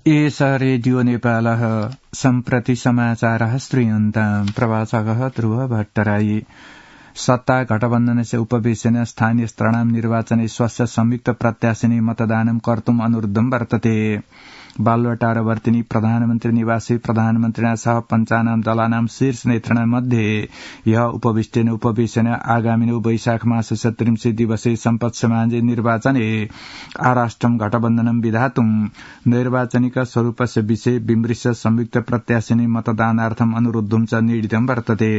एष रेडियो नेपालः सम्प्रति समाचारः श्रूयन्ताम् प्रवाचकः ध्रुव भट्टराई। सत्ता गठबन्धनस्य उपवेशने स्थानीय स्तराणां निर्वाचने स्वस्य संयुक्त प्रत्याशिनी मतदानं कर्तुम् अनुरुद्धं वर्तते। बालुवाटारवर्तिनी प्रधानमन्त्री निवासी प्रधानमन्त्रिणा सह पञ्चानां दलानां शीर्ष नेतृणां मध्ये ह्यः उपविष्टेन उपवेशने आगामिनो वैशाख मासस्य 30 दिवसे सम्पत्स्यमाने निर्वाचने आराष्ट्रं गठबन्धनं विधातुम् नैर्वाचनिक स्वरूपस्य विषये विमृश्य संयुक्त प्रत्याशिनी मतदानार्थम् अनुरुद्धं च निर्णीतं वर्तते।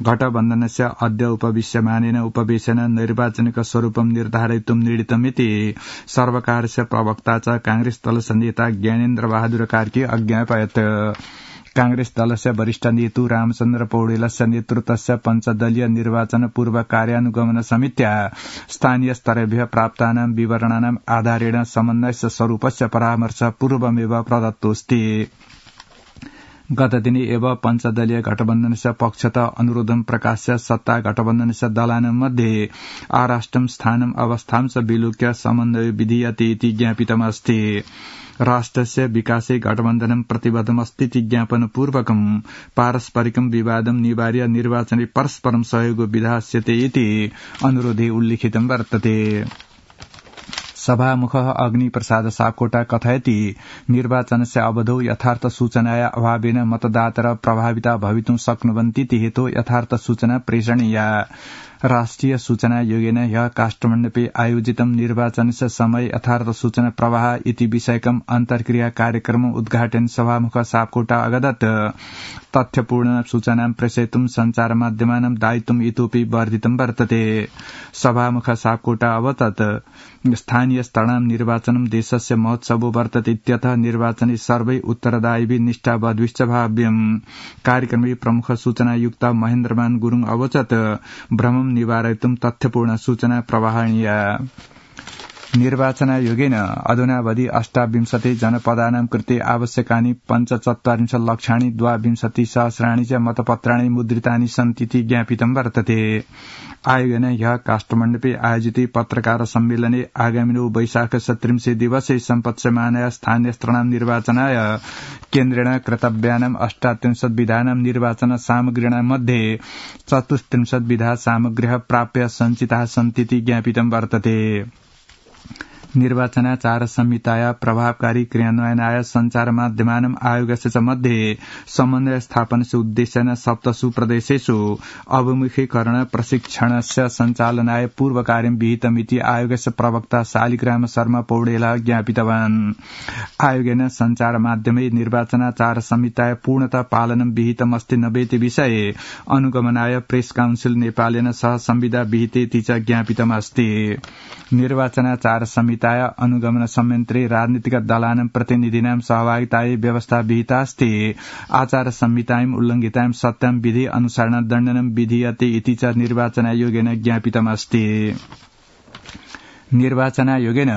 गठबन्धनस्य अद्य उपविश्यमानेन उपवेशन नैर्वाचनिक स्वरूपं निर्धारयितुं निर्णीतमिति सर्वकारस्य प्रवक्ता च कांग्रेस दलस्य नेता ज्ञानेन्द्र बहादुर कार्की अज्ञापयत्। कांग्रेस दलस्य वरिष्ठ नेतु रामचन्द्र पौडेलस्य नेतृत्वस्य पञ्चदलीय निर्वाचन पूर्व कार्यानुगमन समित्या स्थानीय स्तरेभ्यः प्राप्तानां विवरणानाम् आधारेण समन्वयस्य स्वरूपस्य परामर्श पूर्वमेव प्रदत्तोऽस्ति। गतदिने एव पञ्चदलीय गठबन्धनस्य पक्षतः अनुरोधं प्रकाश्य सत्ता गठबन्धनस्य दलानां मध्ये आराष्ट्रं स्थानम् अवस्थां च विलोक्य समन्वय विधीयते इति ज्ञापितमस्ति। राष्ट्रस्य विकासे गठबन्धनं प्रतिबद्धमस्तीति ज्ञापनपूर्वकं पारस्परिकं विवादं निवार्य निर्वाचने परस्परं सहयोगो विधास्यते इति अनुरोधे उल्लिखितं वर्तते। सभामुखः अग्निप्रसाद सापकोटा कथयति निर्वाचनस्य अवधौ यथार्थ सूचनाया अभावेन मतदाता प्रभाविता भवितुं शक्नुवन्तीति हेतु यथार्थ सूचना प्रेषणीया। राष्ट्रिय सूचना योगेन ह्यः काष्ठमण्डपे आयोजितं निर्वाचनस्य समय यथार्थ सूचना प्रवाह इति विषयकम् अन्तर्क्रिया कार्यक्रमम् उद्घाटन सभामुख सापकोटा अगदत्। तथ्यपूर्ण सूचनां प्रेषयितुं सञ्चार माध्यमानां दायित्वम् इतोपि वर्धितं वर्तते। सभामुख सापकोटा अवदत् स्थानीय स्तराणां निर्वाचनं देशस्य महोत्सवो वर्तते इत्यतः निर्वाचने सर्वै उत्तरदायिभिः निष्ठावद्भिश्च भाव्यम्। कार्यक्रमे प्रमुख सूचनायुक्त महेन्द्रमान गुरुङ अवोचत् भ्रमं निवारयितुं तथ्यपूर्ण सूचना प्रवाहणीया। निर्वाचनायोगेन अधुनावधि 28 जनपदानां कृते आवश्यकानि 45 लक्षाणि 22,000 च मतपत्राणि मुद्रितानि सन्तीति ज्ञापितं वर्तते। आयोगेन ह्यः काष्ठमण्डपे आयोजिते पत्रकार सम्मेलने आगामिनो वैशाखस्य 30 दिवसे सम्पत्स्यमानाय स्थानीय स्तराणां निर्वाचनाय केन्द्रेण कर्तव्यानां 38 विधानां निर्वाचन सामग्रीणां मध्ये 34 विधा सामग्र्यः प्राप्य सञ्चिताः सन्तीति ज्ञापितं वर्तते। निर्वाचनाचार संहिताया प्रभावकारी क्रियान्वयनाय सञ्चार माध्यमानाम् आयोगस्य च मध्ये समन्वय स्थापनस्य उद्देश्येन 7 प्रदेशेषु अवमुखीकरण प्रशिक्षणस्य सञ्चालनाय पूर्वकार्यं विहितमिति आयोगस्य प्रवक्ता शालिग्राम शर्मा पौडेलः ज्ञापितवान्। आयोगेन सञ्चार माध्यमे निर्वाचनाचार संहिताय पूर्णतः पालनं विहितमस्ति नवेति विषये अनुगमनाय प्रेस काउन्सिल नेपालेन सह संविदा विहितेति च ज्ञापितमस्ति। निर्वाचनाचार संहिताय अनुगमन संयन्त्रे राजनीतिक दलानां प्रतिनिधीनां सहभागितायै व्यवस्था विहिता अस्ति। आचार संहितायाम् उल्लङ्घितायां सत्यां विधि अनुसरण दण्डनं विधीयते इति च निर्वाचनायोगेन ज्ञापितमस्ति। निर्वाचनायोगेन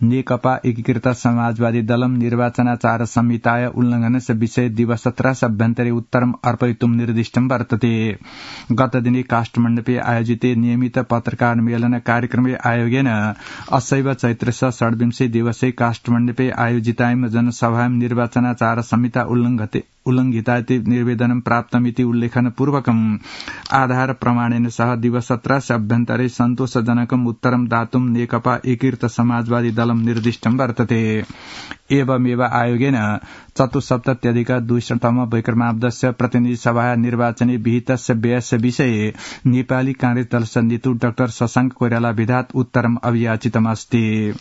नेकपा एकीकृत समाजवादी दलं निर्वाचनाचार संहिताय उल्लंघनस्य विषये दिवसत्रयाभ्यन्तरे उत्तरम् अर्पयितुं निर्दिष्टं वर्तते। गतदिने काष्ठमण्डपे आयोजिते नियमित पत्रकार मेलन कार्यक्रमे आयोगेन असैव चैत्रस्य 26 दिवसे काष्ठमण्डपे आयोजितायां जनसभायां निर्वाचनाचार संहिता उल्लंघिता इति निर्वेदनं प्राप्तमिति उल्लेखनपूर्वकम् आधार प्रमाणेन सह दिवसत्रयस्य अभ्यन्तरे सन्तोषजनकम् उत्तरं दातुं नेकपा एकीकृत समाजवादी दलं निर्दिष्टं वर्तते। एवमेव आयोगेन 74,200 विक्रमाब्दस्य प्रतिनिधि सभा निर्वाचने विहितस्य व्ययस्य विषये नेपाली कांग्रेस दलस्य नेतृ डाक्टर शशांक कोइराला विधात् उत्तरम् अभियाचितमस्ति।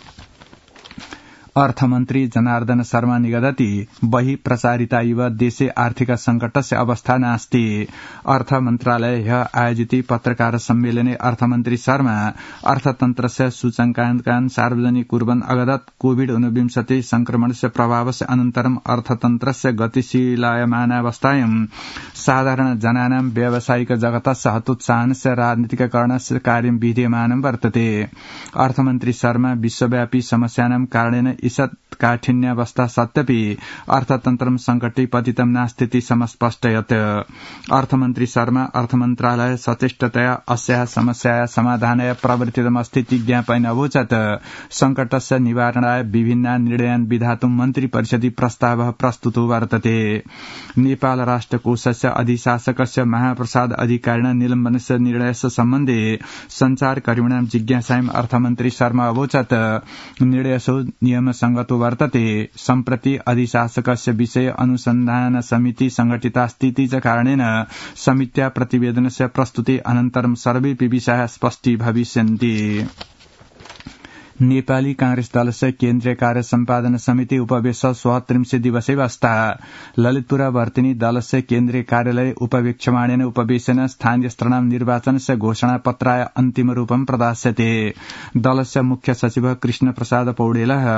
अर्थमन्त्री जनार्दन शर्मा निगदति बहि प्रचारिता इव देशे आर्थिक संकटस्य अवस्था नास्ति। अर्थ मन्त्रालय आयोजिते पत्रकार सम्मेलने अर्थमन्त्री शर्मा अर्थतन्त्रस्य सूचकाङ्कान् सार्वजनिक कुर्वन् अगदत् कोविड-19 संक्रमणस्य प्रभावस्य अनन्तरम् अर्थतन्त्रस्य गतिशीलायमानावस्थायां साधारण जनानां व्यावसायिक जगतस्य हतोत्साहनस्य राजनीतिककरणस्य कार्यं विधीयमानं वर्तते। अर्थमन्त्री शर्मा विश्वव्यापी समस्यानां कारणेन ईषत् काठिन्यावस्था सत्यपि अर्थतन्त्रं संकटे पतितं नास्तीति समस्पष्टयत्। अर्थमन्त्री शर्मा अर्थमन्त्रालय सचेष्टतया अस्याः समस्यायाः समाधानाय प्रवर्तितमस्तीति ज्ञापयन् अवोचत्। संकटस्य निवारणाय विभिन्नान् निर्णयान् विधातुं मन्त्रिपरिषदि प्रस्तावः प्रस्तुतो वर्तते। नेपाल राष्ट्रकोषस्य अधिशासकस्य महाप्रसाद अधिकारिणा निलम्बनस्य निर्णयस्य सम्बन्धे सञ्चारकर्मिणां जिज्ञासायां अर्थमन्त्री शर्मा अवोचत् निर्णयसो नियमसंगतो वर्तते। सम्प्रति अधिशासकस्य विषये अनुसन्धान समिति संघटितास्तीति च कारणेन समित्या प्रतिवेदनस्य प्रस्तुति अनन्तरं सर्वेऽपि विषयाः स्पष्टी भविष्यन्ति। नेपाली कांग्रेस दलस्य केन्द्रीय कार्य सम्पादन समिति उपवेश 37 दिवसे वस्था। ललितपुर वर्तिनी दलस्य केन्द्रीय कार्यालय उपवेक्षमाणेन उपवेशन स्थानीयस्तराणां निर्वाचनस्य घोषणापत्राय अन्तिमरूपं प्रदास्यते। दलस्य मुख्य सचिव कृष्ण प्रसाद पौडेलः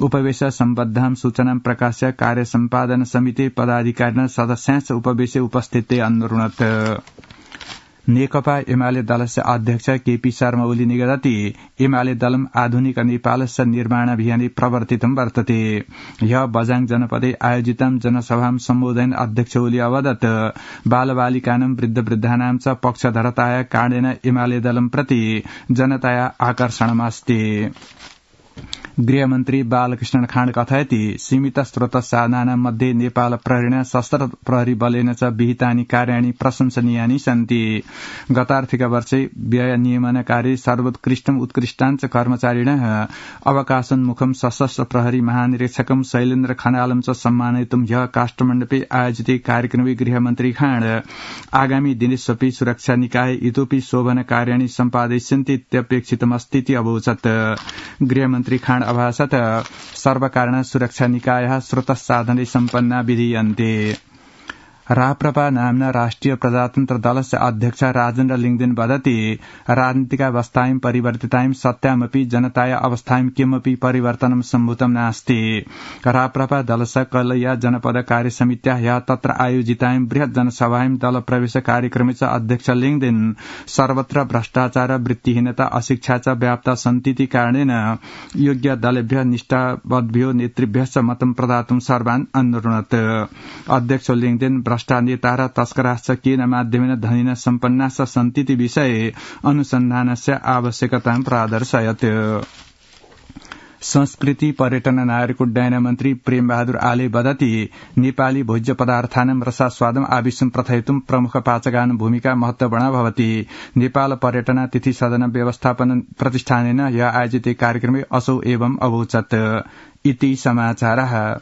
उपवेश सम्बद्धां सूचनां प्रकाश्य कार्य सम्पादन समिति पदाधिकारिणः सदस्यांश्च उपवेशे उपस्थिते अन्वरुणत्। नेकपा एमाले दलस्य अध्यक्ष केपी शर्मा ओली निगदति एमाले दलम् आधुनिक नेपालस्य निर्माणाभियाने प्रवर्तितं वर्तते। ह्य बझाङ जनपदे आयोजितं जनसभां सम्बोधयन् अध्यक्ष ओली अवदत् बालबालिकानां वृद्धवृद्धानां च पक्षधरताया कारणेन एमाले दलं प्रति जनताया आकर्षणमस्ति। गृहमन्त्री बालकृष्ण खाँड कथयति सीमित स्रोत साधनानां मध्ये नेपाल प्रहरीणा सशस्त्र प्रहरी बलेन च विहितानि कार्याणि प्रशंसनीयानि सन्ति। गतार्थिक वर्षे व्यय नियमनकारी सर्वोत्कृष्टम् उत्कृष्टाञ्च कर्मचारिणः अवकाशोन्मुखं सशस्त्र प्रहरी महानिरीक्षकं शैलेन्द्र खनालं च सम्मानयितुं ह्यः काष्ठमण्डपे आयोजिते कार्यक्रमे गृहमन्त्री खाँड आगामी दिनेष्वपि सुरक्षा निकाय इतोपि शोभन कार्याणि सम्पादयिष्यन्ति इत्यपेक्षितमस्तीति अवोचत्। गृहमन्त्री खाँड अभासत सर्वकारण सुरक्षा निकायः स्रोतसाधने सम्पन्ना विधीयन्ते। राप्रपा नाम्ना राष्ट्रिय प्रजातन्त्र दलस्य अध्यक्ष राजेन्द्र लिङदेन वदति राजनीतिकावस्थायां परिवर्तितायां सत्यामपि जनताया अवस्थायां किमपि परिवर्तनं सम्भूतं नास्ति। राप्रपा दलस्य कलैया जनपद कार्य समित्या ह्यः तत्र आयोजितायां बृहत् जनसभायां दल प्रवेश कार्यक्रमे च अध्यक्ष लिङदेन सर्वत्र भ्रष्टाचार वृत्तिहीनता अशिक्षा च व्याप्ता सन्तीति कारणेन योग्य दलेभ्यः निष्ठावद्भ्यो नेतृभ्यश्च मतं प्रदातुं सर्वान् अनुरुणत्। अध्यक्ष लिङदेन भ्रष्टा नेता र तस्कराश्च केन माध्यमेन धनिन सम्पन्नाश्च सन्तीति विषये अनुसन्धानस्य आवश्यकतां प्रादर्शयत्। संस्कृति पर्यटन नागरिक उड्डयन मन्त्री प्रेमबहादुर आले वदति नेपाली भोज्य पदार्थानां रसास्वादम् आविष्यं प्रथयितुं प्रमुख पाचकानां भूमिका महत्वपूर्णा भवति। नेपाल पर्यटन तिथि सदन व्यवस्थापन प्रतिष्ठानेन ह्यः आयोजिते कार्यक्रमे असौ एवं अवोचत्। इति समाचारः।